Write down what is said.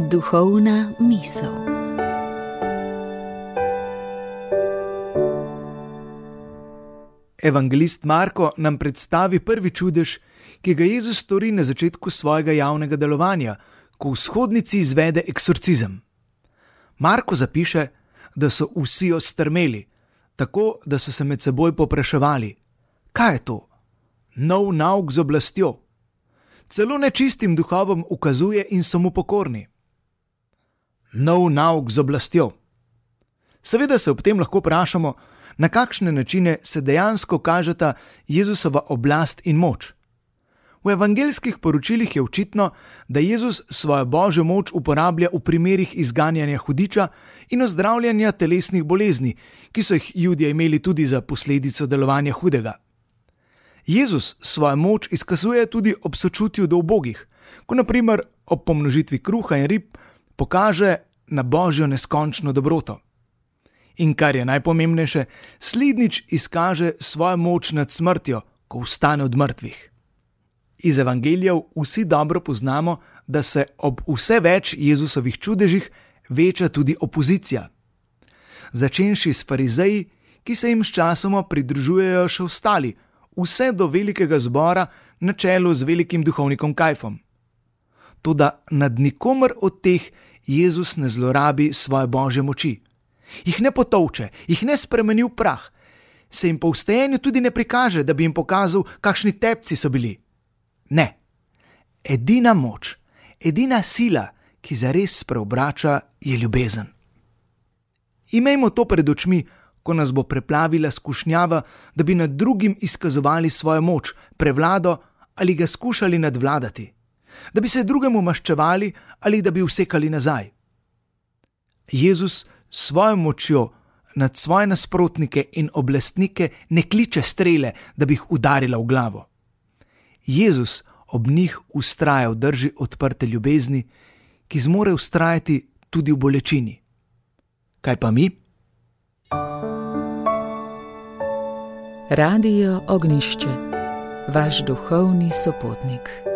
Duhovna misel. Evangelist Marko nam predstavi prvi čudež, ki ga Jezus stori na začetku svojega javnega delovanja, ko v shodnici izvede eksorcizem. Marko zapiše, da so vsi ostrmeli, tako da so se med seboj povpraševali: kaj je to? Nov nauk z oblastjo. Celo nečistim duhovom ukazuje in so mu pokorni. Nov nauk z oblastjo. Seveda se ob tem lahko vprašamo, na kakšne načine se dejansko kažeta Jezusova oblast in moč. V evangeljskih poročilih je očitno, da Jezus svojo božjo moč uporablja v primerih izganjanja hudiča in ozdravljanja telesnih bolezni, ki so jih Judje imeli tudi za posledico delovanja hudega. Jezus svojo moč izkazuje tudi ob sočutju do ubogih, ko na primer ob pomnožitvi kruha in rib pokaže na božjo neskončno dobroto. In kar je najpomembnejše, slednjič izkaže svojo moč nad smrtjo, ko vstane od mrtvih. Iz evangelijev vsi dobro poznamo, da se ob vse več Jezusovih čudežih veča tudi opozicija. Začenši s farizeji, ki se jim sčasoma pridružujejo še ostali, vse do velikega zbora na čelu z velikim duhovnikom Kajfom. Toda nad nikomer od teh Jezus ne zlorabi svoje božje moči. Jih ne potolče, jih ne spremeni v prah, se jim po vstajenju tudi ne prikaže, da bi jim pokazal, kakšni tepci so bili. Ne, edina moč, edina sila, ki zares preobrača, je ljubezen. Imejmo to pred očmi, ko nas bo preplavila skušnjava, da bi nad drugim izkazovali svojo moč, prevlado ali ga skušali nadvladati, da bi se drugemu maščevali ali da bi usekali nazaj. Jezus s svojo močjo nad svoje nasprotnike in oblastnike ne kliče strele, da bi jih udarila v glavo. Jezus ob njih vztraja v drži odprte ljubezni, ki zmore vztrajati tudi v bolečini. Kaj pa mi? Radio Ognjišče, vaš duhovni sopotnik.